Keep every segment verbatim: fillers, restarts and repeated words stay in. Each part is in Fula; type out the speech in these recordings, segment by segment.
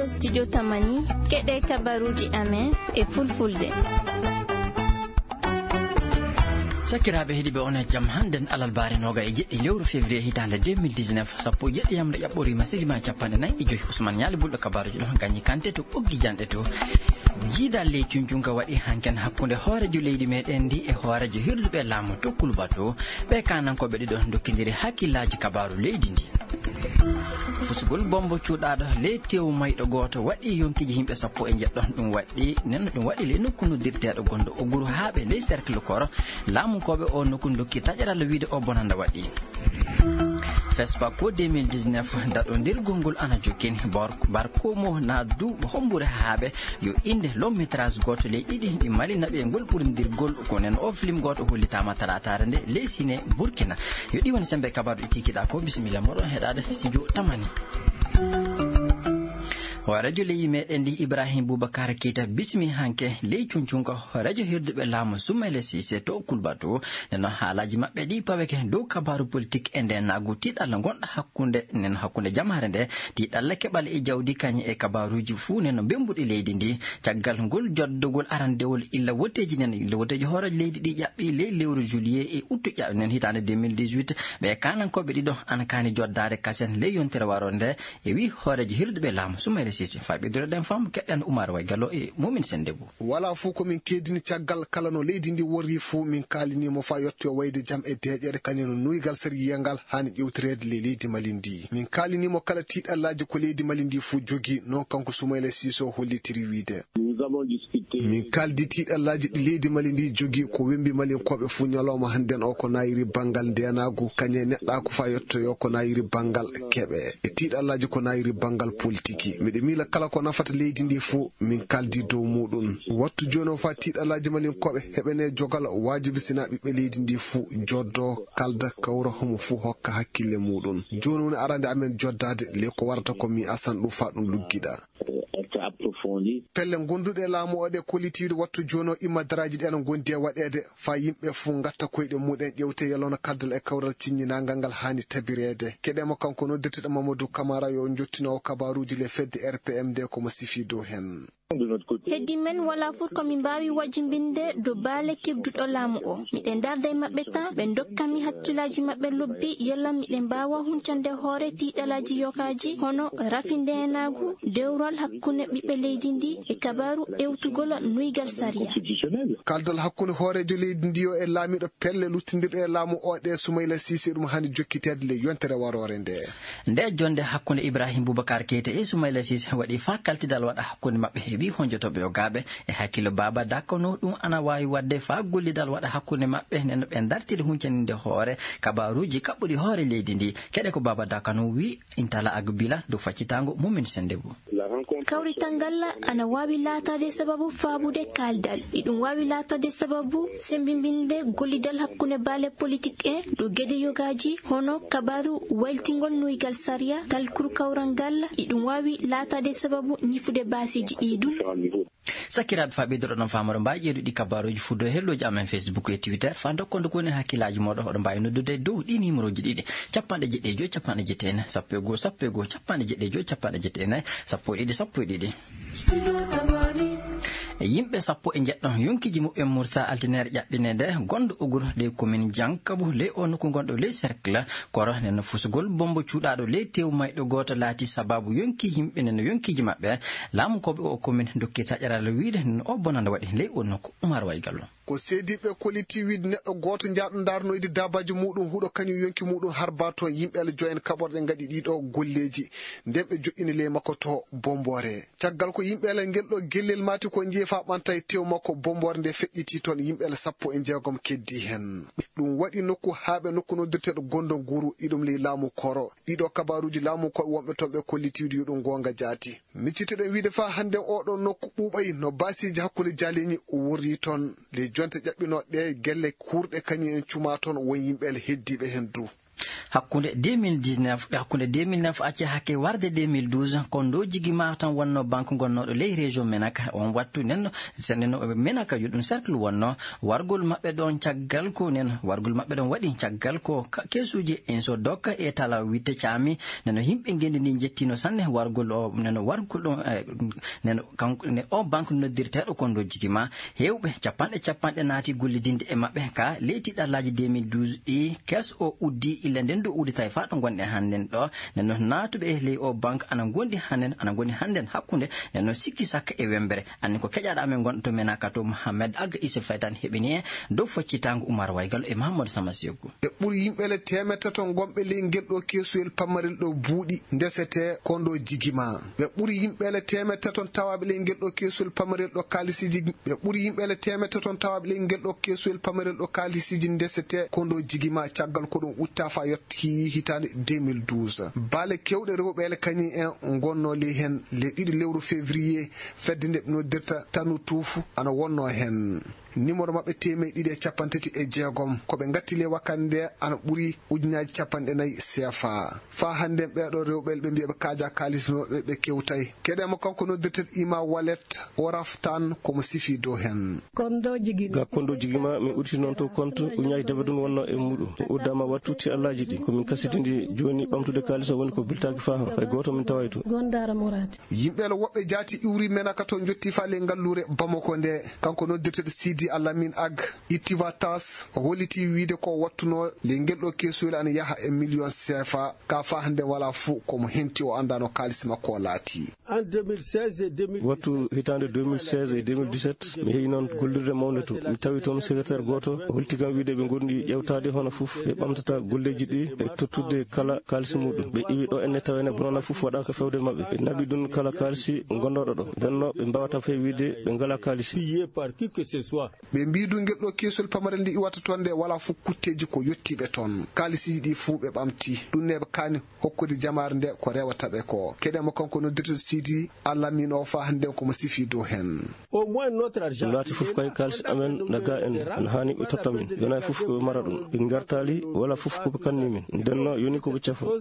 Studio Tamani, keɗe kabaruuji amen e fulfulde. Sakiraaɓe heɗiiɓe, on e jam. Hannden alarbaare nooga e jeɗɗi lewru février hitaande deux mille dix-neuf, sappo e jeɗɗi yamre ƴaɓɓoriima, silima capanɗe nayi e joy. Ousmane Ñaali Bulɗo kabaruuji ɗo, Gañi Kante to ɓoggi janɗe to. Jiidal ley cuncunka waɗi hanken hakkunde hooreejo leydi meɗen ndi e hooreejo hirduɓe laamu to Kulba to. Ɓe kaanankooɓe ɗiɗo ndokkindiri hakkillaaji kabaaru leydi ndi. Fusugol bombo cuuɗaaɗo ley teewu mayɗo gooto waɗi yonkiiji yimɓe sappo e njeɗɗo. Ɗum waɗi, nen ɗum waɗi ley nokku noddirteeɗo gonɗo Oguru Haaɓe ley cercle Koro. Laamunkooɓe o nokku ndokki taƴaral wiide o bonanda waɗi. Fespa ko deux mille dix-neuf, daɗondirgol ngol ana jokkini. Bor-, barko mo na du hommbure Haaɓe yo innde long métrage gooto ley ɗiɗi ɗi Mali naɓi e ngol ɓurindirgol. Ko nen o film gooto hollitaama talaataare nde ley sine Burkina. Yo ɗi woni sembe kabaaru ɗi kikiɗaa ko. Bisimilla moɗon heɗaade studio Tamani. Hooreejo leydi meɗen ndi Ibrahim Boubacar Keita bismi hanke ley cuncunka hooreejo hirduɓe laamu Soumaïla Cissé to Kulba to. Nden noon haalaaji maɓɓe ɗi paweke dow kabaaru politik e nde naagu tiiɗalla ngonɗa hakkunde nen hakkunde jamaare nde. Tiiɗalla keɓal e jawdi kañe e kabaaruuji fuu nen no bembuɗi leydi ndi. Caggal ngol joddogol arandewol illa wotteeji nen, illa wotteeji hooreejo leydi ɗi ƴaɓɓi ley lewru juillet e août ƴaɓɓi nen hitaande deux mille dix-huit, ɓe kaanankooɓe ɗiɗo ana kaani joddaade kasen ley yontere waroo nde, e wi hooreejo hirduɓe laamu Soumaïla Cissé. Faa ɓeydude ɗen faamu keɗɗen Oumar Way Gallo e Momin Sendebou. Walaa fuu ko min keedini caggal kala no leydi ndi worri fuu min kaalini mo faa yettoyo wayde jam e deeƴere kañum no nuygal sari yiyangal haani ƴewtireede ley leydi Mali ndi. Min kaalini mo kala tiiɗallaaji ko leydi Mali ndi fuu jogii, noon kanko Soumaïla Cissé o hollitiri wiide. Min kaaldi tiiɗallaaji ɗi leydi Mali ndi jogii ko wembi Malinkooɓe fuu ñalawma hannden o ko nayiri banngal ndeenaagu, kañe neɗɗaaku faa yettoyo ko nayiri banngal keɓe. E tiiɗallaaji ko nayiri banngal politiki. Miɗo miila kala ko nafata leydi ndi fuu, min kaaldi dow muuɗum. Wattu jooni o faa tiiɗallaaji Malinkooɓe heɓene jogal waajibi sinaa ɓiɓɓe leydi ndi fuu joddo, kalda, kawra, homo fuu hokka hakkille muuɗum. Jooni woni arande amen joddaade ley ko warata ko mi asan ɗum faa ɗum luggiɗa. Pelle gonduɗe e laamu o ɗe kollitiiɗe wattu jooni o immadaraaji ɗe ana ngondi e waɗeede faa yimɓe fuu ngatta koyɗe muɗen ƴewte yalona kaldal e kawral cinñinaangal ngal haani tabireede. Keɗee mo kanko noddirteɗo Mamadou Camara yo jottino o kabaaruuji le fedde R P M nde ko mo sifii dow heen. Heddi men walaa fuu ko min mbaawi wajjimbinde dow baale keɓduɗo laamu o. Miɗen darda e maɓɓe tan, ɓe ndokka mi hakkillaaji maɓɓe lobbi, yalla miɗen mbaawa huncande hoore tiiɗalaaji yokaaji, hono rafi ndeenaagu, dewral hakkunde ɓiɓɓe leydi ndi e kabaaru ewtugol nuygal sariya. Kaldal hakkunde hooreejo leydi ndi o e laamiiɗo pelle luttindirɗe e laamu o ɗe Soumaïla Cissé ɗum haani jokkiteede le yontere waroore nde. Nde jonnde hakkunde Ibrahim Boubacar Keita e Soumaïla Cissé waɗi faa kaltidal waɗa hakkunde maɓɓe e ɓii honjotooɓe yogaaɓe e hakkillo Baba Dakano, ɗum ana waawi waɗde faa gollidal waɗa hakkunde maɓɓe, nden no ɓe ndartiri huncaniinde hoore kabaaruuji kaɓɓuɗi hoore leydi ndi. Keɗee ko Baba Dakano wi Intala Agbila dow faccitaango Momin Sendebou. Kawrital ngal ana waawi laataade sababu faabude kaaldal. Iɗum waawi laataade sababu sembimbinde gollidal hakkunde baale politik en dow geɗe yogaaji, hono kabaaru wayltingol nuygal sariya, talkuru kawral ngal. Iɗum waawi laataade sababu ñifude baasiiji ɗi ɗum. Sakiraaɓe, faa ɓeydoɗon faamorde, mbaawi ƴeewde ɗi kabaaruuji fuu dow helloji amen Facebook e Twitter. Faa ndokkon nde koni hakkillaaji mooɗon, oɗon mbaawi noddude dow ɗi numéroji ɗiɗi: capanɗe jeɗɗi e joy, capanɗe jeɗɗi e nayi, sappo e goo, sappo e goo, capanɗe jeɗɗi e joy, capanɗe jeɗɗi e nayi, sappo e ɗiɗi, sappo e ɗiɗi. Yimɓe sappo e njeɗɗo yonkiiji muɓɓen mursa altineere ƴaɓɓineede gonɗo Ogur ley commune Diankabu ley o nokku gonɗo ley cercle Koro. Nden no fusugol bombo cuuɗaaɗo ley teewu mayɗo gooto laati sababu yonki yimɓe, nden no yonkiiji maɓɓe. Laamu ko ɓe o commune dokki taƴaral wiide nden o bonanda waɗi ley o nokku. Umar Way Gallo. Ko seediiɓe kolliti wiide neɗɗo gooto jaaɗo ndaarnoyde daabaaji muuɗum huɗo kañum yonki muuɗum harba toon yimɓe ala joyen kaɓorɗe ngaɗi ɗiɗo golleeji. Nden ɓe joƴƴini ley makko to bomboore. Caggal ko yimɓe ala ngel ɗo gellel maati ko njeeyi faa ɓanta e tew makko, bomboore nde feƴƴiti toon yimɓe ala sappo e jeegom keddi heen. Ɗum waɗi nokku haa ɓe nokku noddirteeɗo Gondo Nguru, iɗum ley laamu Koro. Ɗiɗo kabaaruuji laamu ko wonɓe toon ɓe kolliti wiide yo ɗum goonga jaati. Miccitoɗen wiide faa hannden oo ɗoo nokku ɓuuɓay no baasiiji hakkunde jaaleeñi worri toon. Ley jonte ƴaɓɓinooɗe ɗe gelle kuurɗe kañum en cuma toon won yimɓe ala heddiiɓe heen du. Hakkunde deux mille dix-neuf, hakkunde deux mille neuf acce hakke warde deux mille douze, Kondo Jigima tan wonno banque gonnooɗo ley région Menaka. On wattu nen, sen nen Menaka yo ɗum cercle wonno, wargol maɓɓe ɗon caggal ko nen, wargol maɓɓe ɗon waɗi caggal ko ka-, keesuuji en so dokka e tala witte caami. Neno yimɓe ngenndi ndi njettino sanne wargol o, neno wargol ɗon, eh, neno kanko, ne o banque noddirteeɗo Kondo Jigima. Heewɓe capanɗe capanɗe naati gollidinde e maɓɓe ka ley tiiɗallaaji deux mille douze ɗi. Kees o uddi illa nden ɗo uddi tawi faa ɗo ngonɗen hannden ɗo. Nden noon naatuɓe e ley o banque ana ngondi hannden, ana ngondi hannden hakkunde. Nden noon sikki sakka e wembere. Anni ko keƴaaɗo amen gonɗo to Menaka to Mohamed Aga Issa Faytan heɓini en dow foccitaango Umar Waygal e Mahamadou Sama Seku. E ɓuri yimɓe le teemedde tato gonɓe ley ngel ɗo keesuwel pamarel ɗo buuɗi ndesete Kondo Jigima. Ɓe ɓuri yimɓe le teemedde tato tawaaɓe ley ngel ɗo keesuwel pamarel ɗo kaalisiiji, ɓe ɓuri yimɓe le teemedde tato tawaaɓe ley ngel ɗo keesuwel pamarel ɗo kaalisiiji ndesete Kondo Jigima caggal ko ɗum utta fa yotti hitaande deux mille douze. Baale kewɗe rewɓe le kañum en ngonno ley heen le ɗiɗi lewru février, fedde nde ɓe noddirta Tanu Tuufu ana wonno heen. Numéro maɓɓe teemeɗɗe ɗiɗi e capanɗe tati e jeegom. Ko ɓe ngatti ley wakkati nde ana ɓuri ujunaaji capanɗe nayi C F A. Faa hannden ɓeeɗo rewɓe ɓe mbiya ɓe kaaja kaalis maɓɓe ɓe kewtay. Keɗen mo kanko noddirteeɗo Ima Wallet o raftan ko mo sifi dow heen. Ga Kondo Jigima, min uditi noon to compte ujunaaji debe ɗum wonno e muɗum. Mi uddama wattu ti allaaji ɗi. Ko min kasitindi jooni ɓamtude kaalis o woni ko biltaaki faa han. Hay gooto min taway to. Yimɓe le woɓɓe jaati iwri Menaka to njotti faa ley ngalluure Bamako nde. Kanko noddirteeɗo Sidi Alamin Ag ittiva tas o holliti wiide ko wattuno ley ngel ɗo keesuwel ana yaha e million C F A. Ka faa hannde walaa fuu ko mo henti o anndaa no kaalis makko o laati. Wattu hitaande deux mille seize e deux mille dix-sept, mi heɓi noon gollirde mawnde to. Mi tawi toon secrétaire gooto, o holti kam wiide ɓe ngondi ƴewtaade hono fof, ɓe ɓamtata golleeji ɗi, e tottude kala kaalisi muɗum. Ɓe iwi ɗo enne tawene bonana fof waɗaaka fewde maɓɓe. Ɓe naɓi ɗum kala kaalisi gondooɗo ɗo. Nden no ɓe mbawata fay wiide ɓe ngala kaalisi. Ɓe mbii du ngel ɗo keesol pamarel nde iwata toon nde walaa fof kutteeji ko yottiiɓe toon. Kaalisiiji ɗi fuu ɓe ɓamti. Ɗum ne ɓe kaani hokkude jamaare nde ko rewata ɓe ko. Keɗen mo kanko noddirteeɗo Sidi Alamin o faa hannden ko mo sifi dow heen. Ɗum laati fof kay kaalis amen na ga en, ana haani ɓe totta min. Yonaa fof ko ɓe mara ɗum. Ɓe ngartaali wala fof ko ɓe kanni min. Nden no yoni ko ɓe cafo.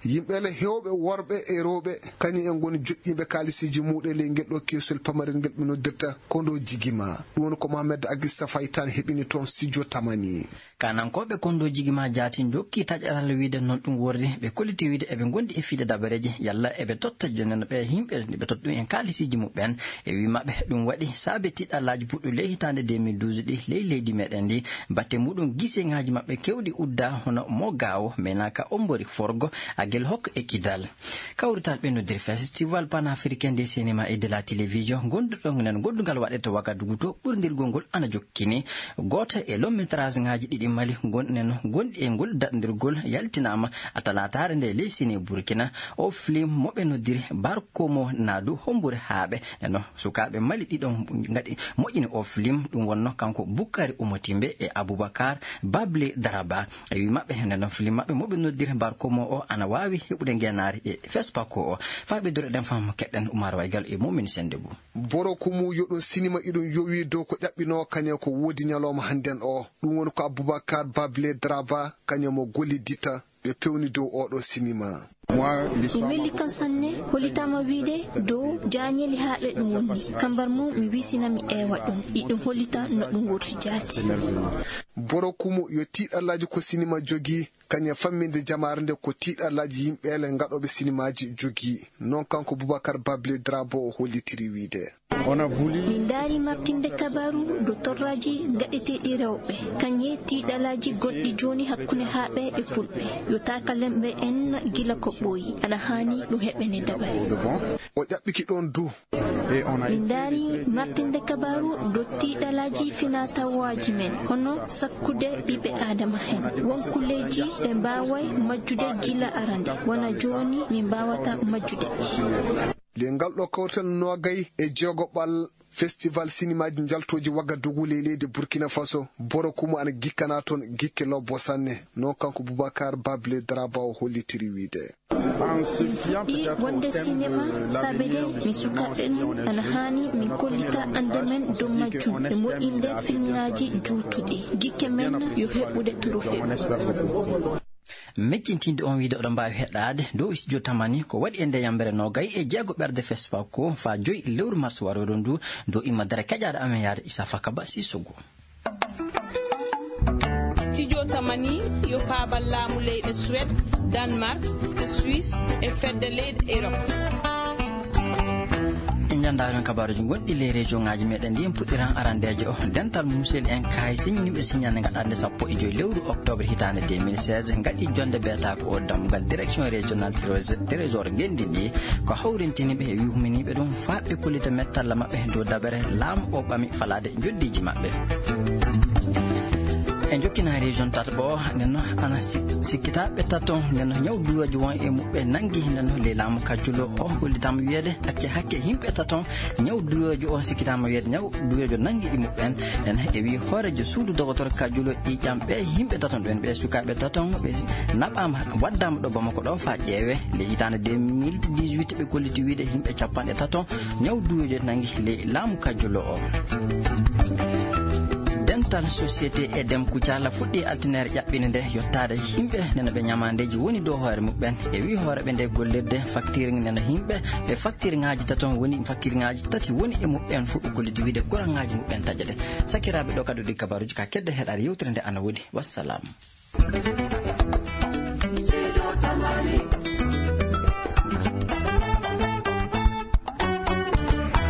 Yimɓe le heewɓe worɓe e rewɓe, kañum en ngoni joƴƴiiɓe kaalisiiji muɗe ley ngel ɗo keesol pamarel ngel ɓe noddirta ko ndo jigima. Ɗum woni ko Mohamed Agista Faytan heɓini toon studio Tamani. Kanankooɓe Kondo Jigima Jaati njokki taƴaral wiide noon ɗum worri, ɓe kolliti wiide eɓe ngondi e fiide dabareeje, yalla eɓe totta jooni no ɓe yimɓe ɓe totta ɗum en kaalisiiji muɓɓen. E wii maɓɓe ɗum waɗi saabe tiɗallaaji puɗɗu ley hitaande deux mille douze ɗi ley leydi meɗen ndi. Batte muɗum giseŋaaji maɓɓe kewɗi udda hono mo gaawo, menaka ombori forgo, agel hokka e kidal. Kawrital ɓe noddir festival panafricain des cinéma et de la télévision, gonduɗo nen gondungal waɗete Wagadugu to, ɓurdirgol ngol ana jokkini. Gooto e long métrage ŋaaji ɗiɗi Mali gon-, nen gonɗi e ngol daɗndirgol yaltinaama a talaataare nde ley Sine Burkina. O film mo ɓe noddiri Barkomo Nadu Hombure Haaɓe. Neno sukaaɓe Mali ɗiɗon ngaɗi moƴƴini o film, ɗum wonno kanko Bukari Umotimbe e Abubakar Bable Daraba. E wi maɓɓe, neno film maɓɓe mo ɓe noddiri Barkomo o ana waawi heɓude ngeenaari e Fespako o. Faa ɓe doro ɗen fam keɗɗen Umar Waygal e Mumin Sende Bou. Borokumu yo ɗum sinima iɗum yowi dow ko ƴaɓɓinoo kañum ko woodi ñalawma hannden o. Ɗum woni ko Abubakar Bable Draba kañum mo golliditta ɓe pewni dow oɗo sinima. Mi weli kan sanne, hollitaama wiide dow jaañeli haa ɓe ɗum wonni. Kambar mum mi wisina mi eewa ɗum. Iɗum hollita no ɗum wurti jaati. Borokumu yo tiiɗallaaji ko sinima jogii, kañum famminde jamaare nde ko tiiɗallaaji yimɓeele ngaɗooɓe sinimaaji jogii. Noon kanko Boubacar Bable Drabo o hollitiri wiide. Min ndaari martinde kabaru dow torraaji gaɗeteeɗi rewɓe, kañe tiiɗalaaji gonɗi jooni hakkunde haaɓe e fulɓe. Yo taakalemɓe en gila ko ɓooyi, ana haani ɗum heɓene dabare. O ƴaɓɓiki ɗoon du. Min ndaari martinde kabaru dow tiiɗalaaji finatawaaji men, hono sakkude ɓiɓɓe Aadama heen. Won kulleeji ɓe mbaaway majjude gila arande, wona jooni min mbaawata majjude. Nde ngal ɗo kawtal noogay e jeegoɓal festival sinimaaji njaltooji Wagadugu ley leydi Burkina Faso, Borokumu ana gikkana toon gikke lobbo sanne, noon kanko Boubacar Bable Draba o hollitiri wiide. Min fuɗɗi wonde sinema saabe de min sukaaɓe men ana haani min kollita annde men dow majjum e moƴƴinde filmaaji juutuɗi. Gikke men yo heɓude trophée. Meccintinde on wiide oɗon mbaawi heɗaade dow studio Tamani ko waɗi e nde yambere nogay e jeego ɓerde Fespa ko fa joyi lewru mars waroɗon ndu, dow imma dara keƴaaɗo amen yaade Isa Fakaba Sissogo. Studio Tamani yo paabal laamu leyɗe Suède, Danemark, e Suisse e fedde leyɗe Europe. En njanndaari on kabaaruuji gonɗi ley région ŋaaji meɗen ndi. En puɗɗiran arandeejo o. Dental Musel en kaay siññiniiɓe siññande ngaɗande sappo e joyi lewru octobre hitaande deux mille seize ngaɗi jonde beetaako o dammugal direction régionale trésor ngenndi ndi, ko hawrintiniiɓe e yuhminiiɓe ɗum faa ɓe kollita mettalla maɓɓe dow dabere laamu o ɓami falaade njoddiiji maɓɓe. En jokkina région tataɓo o, nden no ana si-, sikkitaaɓe tato, nden no ñaw duweejo won e muɓɓe nangi, nden no ley laamu kajjulo o hollitaama wiyeede acce hakke yimɓe tato, ñaw duweejo o sikkitaama wiyeede ñaw duweejo nangi e muɓɓen. Nden e wi hooreejo suudu dogotor kajjulo ƴiiƴam ɓe yimɓe tato ɓen, ɓe sukaaɓe tato ɓe naɓaama, waddaama ɗo Bamako ɗo faa ƴeewe. Ley hitaande deux mille dix-huit ɓe kolliti wiide yimɓe capanɗe tato ñaw duweejo nangi ley laamu kajjulo o. Dental société Edem Kucala fuɗɗi altine ere ƴaɓɓinde nde yottaade yimɓe nena ɓe ñamaandeeji woni dow hoore muɓɓen. E wi hooreeɓe nde gollirde facture nena yimɓe ɓe facture ŋaaji tato woni facture ŋaaji tati woni e muɓɓen fof ɓe kolliti wiide courant ŋaaji muɓɓen taƴa de. Sakiraaɓe ɗo kadi ɗi kabaaruuji ka kedde heɗaare yewtere nde ana woodi. Wassalam.